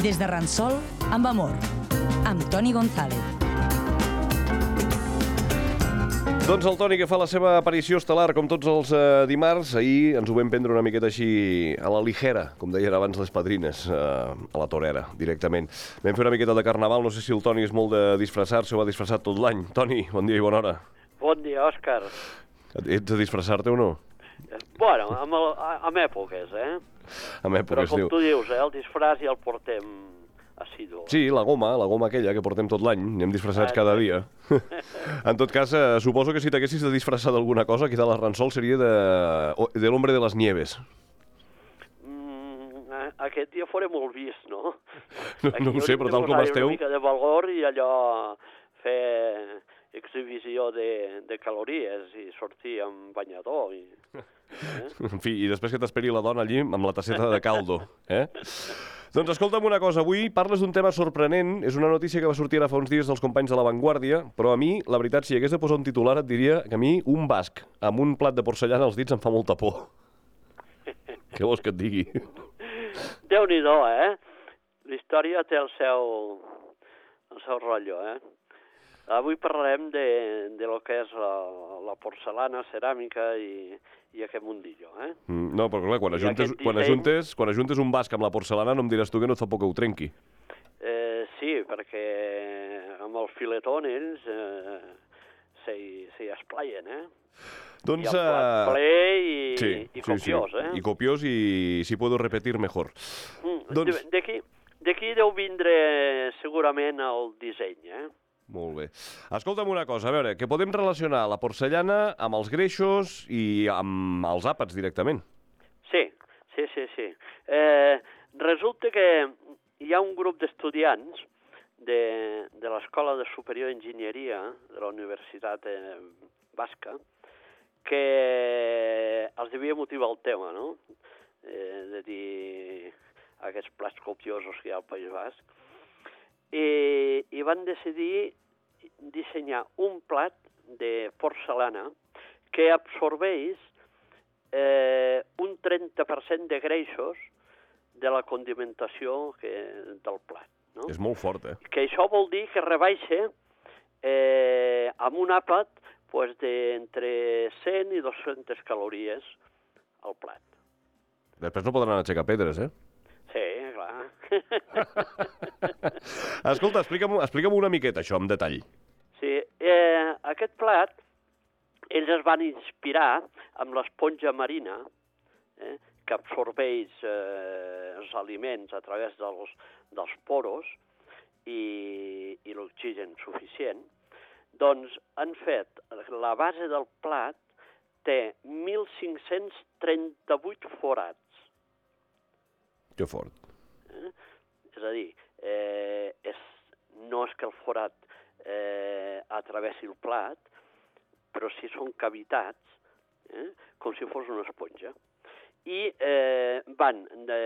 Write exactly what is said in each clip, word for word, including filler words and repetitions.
Des de Ransol, amb amor, amb Toni González. Doncs el Toni, que fa la seva aparició estel·lar, com tots els eh, dimarts. Ahir ens ho vam prendre una miqueta així a la ligera, com deien abans les padrines, eh, a la torera, directament. Vam fer una miqueta de carnaval, no sé si el Toni és molt de disfressar-se o ha disfressat tot l'any. Toni, bon dia i bona hora. Bon dia, Òscar. Ets de disfressar-te o no? Bueno, amb, el, amb èpoques, eh? Amb èpoques, Però com diu. tu dius, eh, el disfràs ja el portem assidu. Sí, la goma, la goma aquella que portem tot l'any, anem disfressats cada dia. En tot cas, eh, suposo que si t'haguessis de disfressar d'alguna cosa, aquí dalt al Ransol seria de, de l'Hombre de les Nieves. Mm, aquest dia fora molt vist, no? No, no ho sé, però tal com esteu... Una mica de valor i allò fer exhibició de, de calories i sortir amb banyador. I, eh? En fi, i després que t'esperi la dona allí amb la tasseta de caldo, eh? Doncs escolta'm una cosa, avui parles d'un tema sorprenent, és una notícia que va sortir ara fa uns dies dels companys de La Vanguardia, però a mi, la veritat, si hagués de posar un titular et diria que a mi un basc amb un plat de porcellana als dits em fa molta por. Què vols que et digui? Déu-n'hi-do, eh? La història té el seu, el seu rotllo, eh? Avui parlarem de, de lo que és la, la porcelana, ceràmica i, i aquest mundillo, eh? Mm, no, però clar, quan ajuntes, disseny... quan, ajuntes, quan ajuntes un basc amb la porcelana no em diràs tu que no et fa por que ho trenqui. Eh, sí, perquè amb el filetón ells eh, s'hi esplaien, eh? Doncs, I el plat ple i, sí, i copiós, sí, sí. eh? I copiós i si puedo repetir mejor. Mm, doncs... D'aquí d'aquí deu vindre segurament el disseny, eh? Molt bé. Escolta'm una cosa, a veure, que podem relacionar la porcellana amb els greixos i amb els àpats directament. Sí, sí, sí, sí. Eh, resulta que hi ha un grup d'estudiants de, de l'Escola de Superior d'Enginyeria de la Universitat eh, Basca que els devia motivar el tema, no? Eh, de dir aquests plats copiosos que hi ha al País Basc. I, i van decidir dissenyar un plat de porcelana que absorbeix eh, un trenta per cent de greixos de la condimentació que, del plat. No? És molt fort, eh? Que això vol dir que rebaixa eh, amb un àpat pues, d'entre cent i dues-centes calories al plat. Després no podran aixecar pedres, eh? Sí, clar. Escolta, explica'm, explica'm una miqueta això, en detall. Sí, eh, aquest plat, ells es van inspirar amb l'esponja marina, eh, que absorbeix eh, els aliments a través dels, dels poros i, i l'oxigen suficient. Doncs han fet, la base del plat té mil cinc-cents trenta-vuit forats. Que fort. Eh? És a dir, eh, és, no és que el forat eh, atravessi el plat, però sí són cavitats, eh, com si fos una esponja. I eh, van de,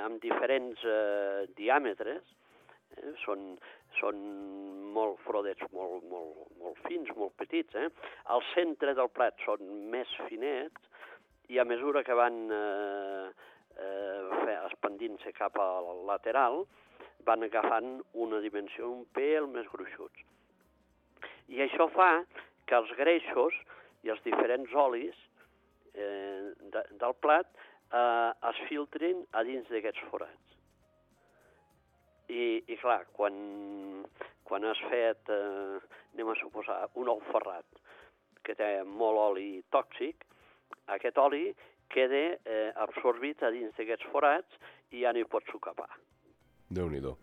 amb diferents eh, diàmetres, eh, són, són molt frodets, molt, molt, molt fins, molt petits. Eh? Al centre del plat són més finets i a mesura que van eh, eh, expandint-se cap al lateral, van agafant una dimensió un pèl més gruixuts. I això fa que els greixos i els diferents olis eh, de, del plat eh, es filtrin a dins d'aquests forats. I, i clar, quan, quan has fet, eh, anem a suposar, un ou ferrat que té molt oli tòxic, aquest oli queda eh, absorbit a dins d'aquests forats i ja no hi pots socapar. Déu-n'hi-do.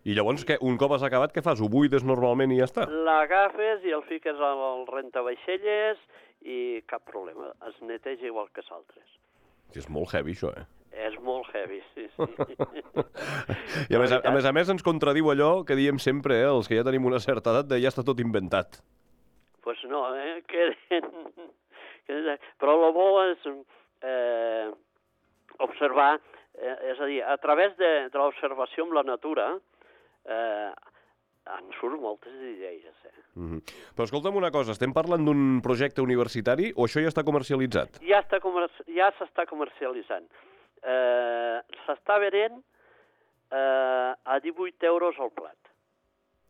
I llavors, què, un cop has acabat, què fas? Ho buides normalment i ja està? L'agafes i el fiques al rentavaixelles i cap problema. Es neteja igual que s'altres. És molt heavy, això, eh? És molt heavy, sí, sí. I a més a, a més a més ens contradiu allò que diem sempre, eh, els que ja tenim una certa edat, de ja està tot inventat. Doncs pues no, eh? Queden... Però el bo és eh, observar, eh, és a dir, a través de, de l'observació amb la natura, eh, en surt moltes idees. Eh? Mm-hmm. Però escolta'm una cosa, estem parlant d'un projecte universitari o això ja està comercialitzat? Ja està comer ja s'està comercialitzant. Eh, s'està venent eh, a divuit euros el plat.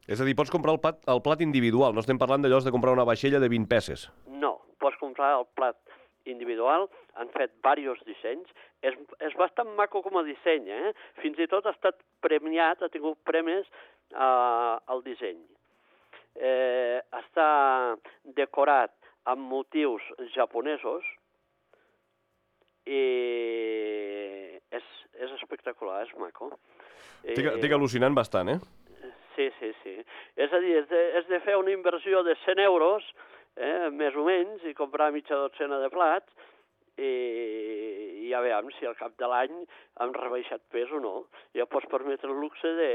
És a dir, pots comprar el plat, el plat individual, no estem parlant d'allò de comprar una vaixella de vint peces. No, pots comprar el plat individual, han fet diversos dissenys, és, és bastant maco com a disseny, eh? Fins i tot ha estat premiat, ha tingut premis eh, al disseny. Eh, està decorat amb motius japonesos i és, és espectacular, és maco. Estic, estic al·lucinant bastant, eh? Sí, sí, sí. És a dir, és de, és de fer una inversió de cent euros, eh, més o menys, i comprar mitja dotzena de plats, i ja veiem si al cap de l'any hem rebaixat pes o no. Ja pots permetre el luxe de,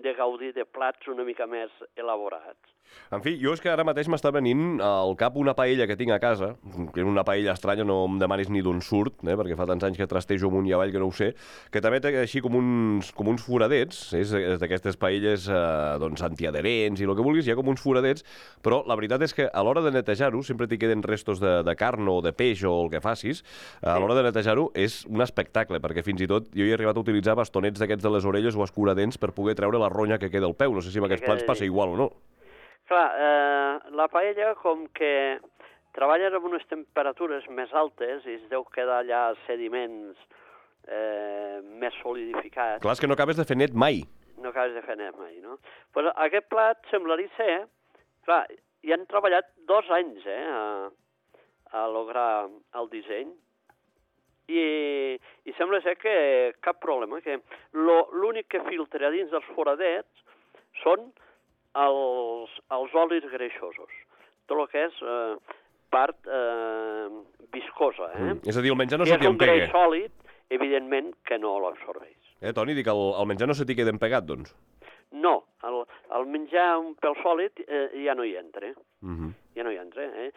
de gaudir de plats una mica més elaborats. En fi, jo és que ara mateix m'està venint al cap una paella que tinc a casa, que és una paella estranya, no em demanis ni d'on surt, eh, perquè fa tants anys que trastejo amunt i avall que no ho sé, que també té així com uns, com uns foradets, és, és d'aquestes paelles eh, doncs, antiadherents i el que vulguis, hi ha com uns foradets, però la veritat és que a l'hora de netejar-ho, sempre t'hi queden restos de, de carn o de peix o el que facis, a l'hora de netejar-ho és un espectacle, perquè fins i tot jo he arribat a utilitzar bastonets d'aquests de les orelles o escuradents per poder treure la ronya que queda al peu. No sé si amb aquests plats passa igual o no. Clar, eh, la paella, com que treballen amb unes temperatures més altes i es deu quedar allà sediments eh, més solidificats... Clar, és que no acabes de fer net mai. No acabes de fer net mai, no? Pues aquest plat semblaria ser... Clar, hi han treballat dos anys, eh, a, a lograr el disseny. I, i sembla ser que cap problema, que l'únic que filtra dins dels foradets són els, els olis greixosos. Tot el que és eh, part eh, viscosa. Eh? Mm. És a dir, el menjar no si se t'hi empega. És un greix sòlid, evidentment que no l'absorbeix. Eh, Toni, dic, el, el menjar no se t'hi queda empegat, doncs? No, el, el menjar un pèl sòlid eh, ja no hi entra. Mm -hmm. Ja no hi entra. Eh?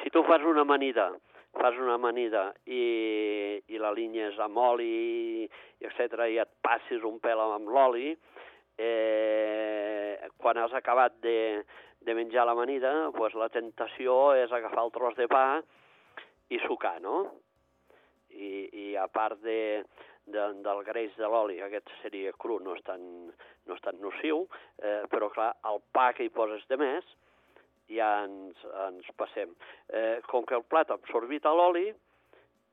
Si tu fas una amanida, fas una amanida i, i la linyes amb oli, etcètera, i et passis un pèl amb l'oli, eh, quan has acabat de, de menjar l'amanida, pues la tentació és agafar el tros de pa i sucar, no? I, i a part de, de, del greix de l'oli, aquest seria cru, no és tan, no és tan nociu, eh, però clar, el pa que hi poses de més, ja ens, ens passem. Eh, com que el plat ha absorbit l'oli,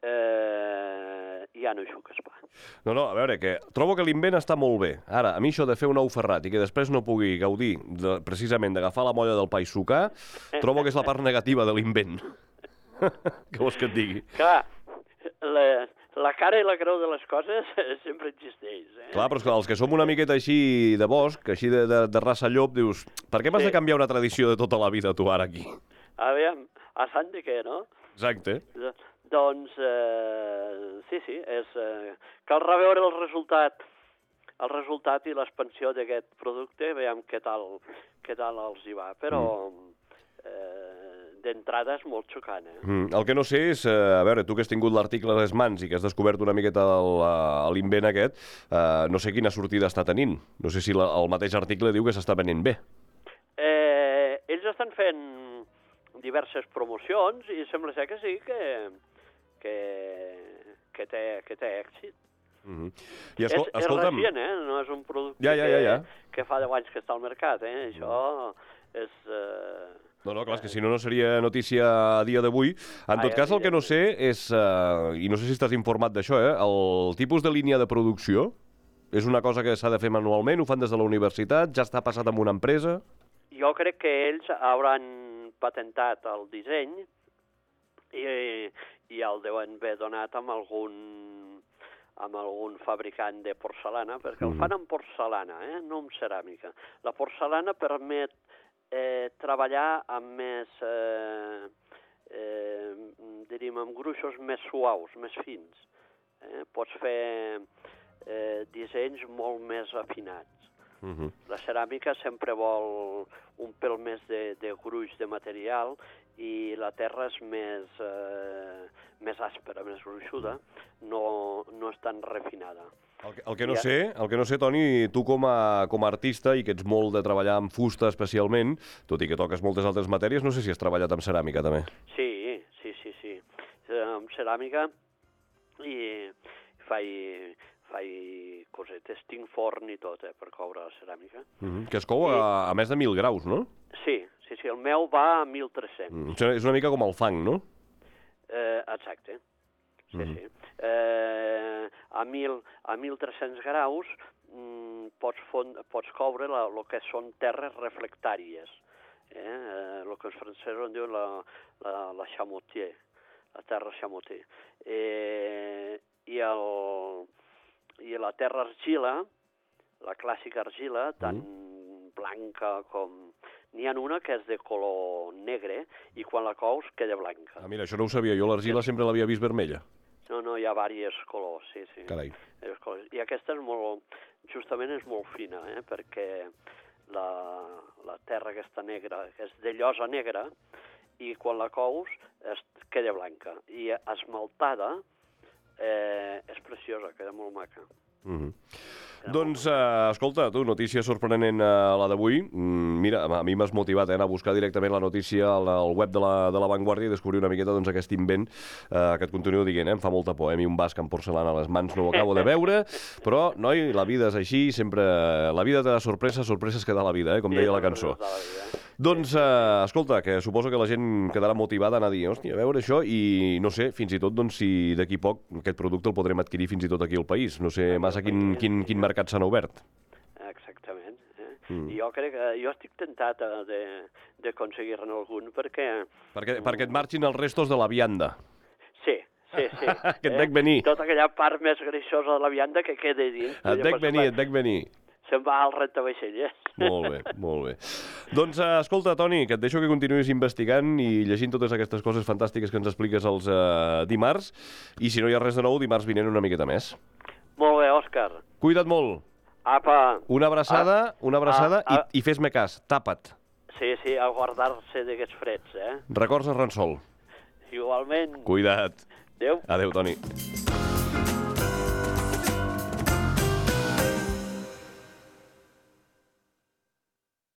eh, ja no hi xuques pa. No, no, a veure, que trobo que l'invent està molt bé. Ara, a mi això de fer un ou ferrat i que després no pugui gaudir de, precisament d'agafar la molla del pa i sucar, trobo que és la part negativa de l'invent. Què vols que et digui? Clar, la, la cara i la creu de les coses sempre existeix. Eh? Clar, però és que els que som una miqueta així de bosc, així de, de, de raça llop, dius, per què m'has sí. de canviar una tradició de tota la vida tu ara aquí? Aviam, a sant de què, no? Exacte. De, doncs, eh, sí, sí, és, eh, cal reveure el resultat, el resultat i l'expansió d'aquest producte, veiem què tal, què tal els hi va, però mm. eh, d'entrada és molt xocant. Eh? Mm, el que no sé és, eh, a veure, tu que has tingut l'article a les mans i que has descobert una miqueta l'invent aquest, eh, no sé quina sortida està tenint. No sé si la, el mateix article diu que s'està venent bé. Eh, ells estan fent diverses promocions i sembla ser que sí, que, que, que, té, que té èxit. Mm-hmm. I escol és, és escolta'm... recient, eh? No és un producte ja, ja, ja, ja. Que, que fa deu anys que està al mercat, eh? Això és... Eh... No, no, clar, és que si no, no seria notícia a dia d'avui. En tot cas, el que no sé és, uh, i no sé si estàs informat d'això, eh, el tipus de línia de producció és una cosa que s'ha de fer manualment, ho fan des de la universitat, ja està passat amb una empresa? Jo crec que ells hauran patentat el disseny i, i el deuen haver donat amb algun, amb algun fabricant de porcelana, perquè mm. el fan amb porcelana, eh, no amb ceràmica. La porcelana permet Eh, treballar amb més, eh, eh, diríem, amb gruixos més suaus, més fins. Eh? Pots fer eh, dissenys molt més afinats. Uh-huh. La ceràmica sempre vol un pèl més de, de gruix de material i la terra és més, eh, més àspera, més gruixuda, no, no és tan refinada. El que, el, que no sé, el que no sé, Toni, tu com a, com a artista i que ets molt de treballar amb fusta especialment, tot i que toques moltes altres matèries, no sé si has treballat amb ceràmica també. Sí, sí, sí, sí. Amb ceràmica i faig, faig exacte, tinc forn i tot, eh, per coure la ceràmica. Mm-hmm. Que es cou a, a més de mil graus, no? Sí, sí, sí, el meu va a mil tres-cents. Mm. És una mica com el fang, no? Eh, exacte, sí, Mm-hmm. sí. Eh, a, mil, a mil tres-cents graus mm, pots, fon, pots coure el que són terres reflectàries, eh? Eh, el que els francesos en diuen la, la, la chamotier, la terra chamotier. Eh, i, el, I la terra argila, la clàssica argila, tant mm. blanca com... N'hi ha una que és de color negre i quan la cous queda blanca. Ah, mira, això no ho sabia. Jo l'argila sempre l'havia vist vermella. No, no, hi ha diversos colors, sí, sí. Carai. I aquesta és molt, justament és molt fina, eh? Perquè la, la terra aquesta negra, que és de llosa negra, i quan la cous es queda blanca. I esmaltada eh, és preciosa, queda molt maca. Mm-hmm. Doncs, uh, escolta, tu, notícia sorprenent uh, la d'avui. Mm, mira, a mi m'has motivat eh, a anar a buscar directament la notícia al, al web de la, de la Vanguardia i descobrir una miqueta doncs, aquest invent uh, que et continuo dient, eh, em fa molta por. Eh? A mi un basc amb porcelana a les mans no ho acabo de veure, però, noi, la vida és així, sempre... La vida te da sorpreses, sorpreses que da la vida, eh, com deia la cançó. Doncs, uh, escolta, que suposo que la gent quedarà motivada a anar a dir, hòstia, a veure això, i no sé, fins i tot, doncs, si d'aquí poc aquest producte el podrem adquirir fins i tot aquí al país. No sé massa quin, quin, quin mercat s'han obert. Exactament. Eh? Mm. Jo crec que jo estic tentat de, d'aconseguir-ne algun perquè... Perquè, perquè et marxin els restos de la vianda. Sí, sí, sí. Que et dec venir. Tota aquella part més greixosa de la vianda que queda dins. Et dec venir, et dec venir. Se'n va al rentavaixelles. Molt bé, molt bé. Doncs, uh, escolta, Toni, que et deixo que continuïs investigant i llegint totes aquestes coses fantàstiques que ens expliques els uh, dimarts, i si no hi ha res de nou, dimarts vinent una miqueta més. Molt bé, Òscar. Cuida't molt. Apa. Una abraçada, ah, una abraçada ah, ah. i, i fes-me cas, tapa't. Sí, sí, a guardar-se d'aquests freds, eh? Records a Ransol. Igualment. Cuida't. Adéu. Adéu, Toni.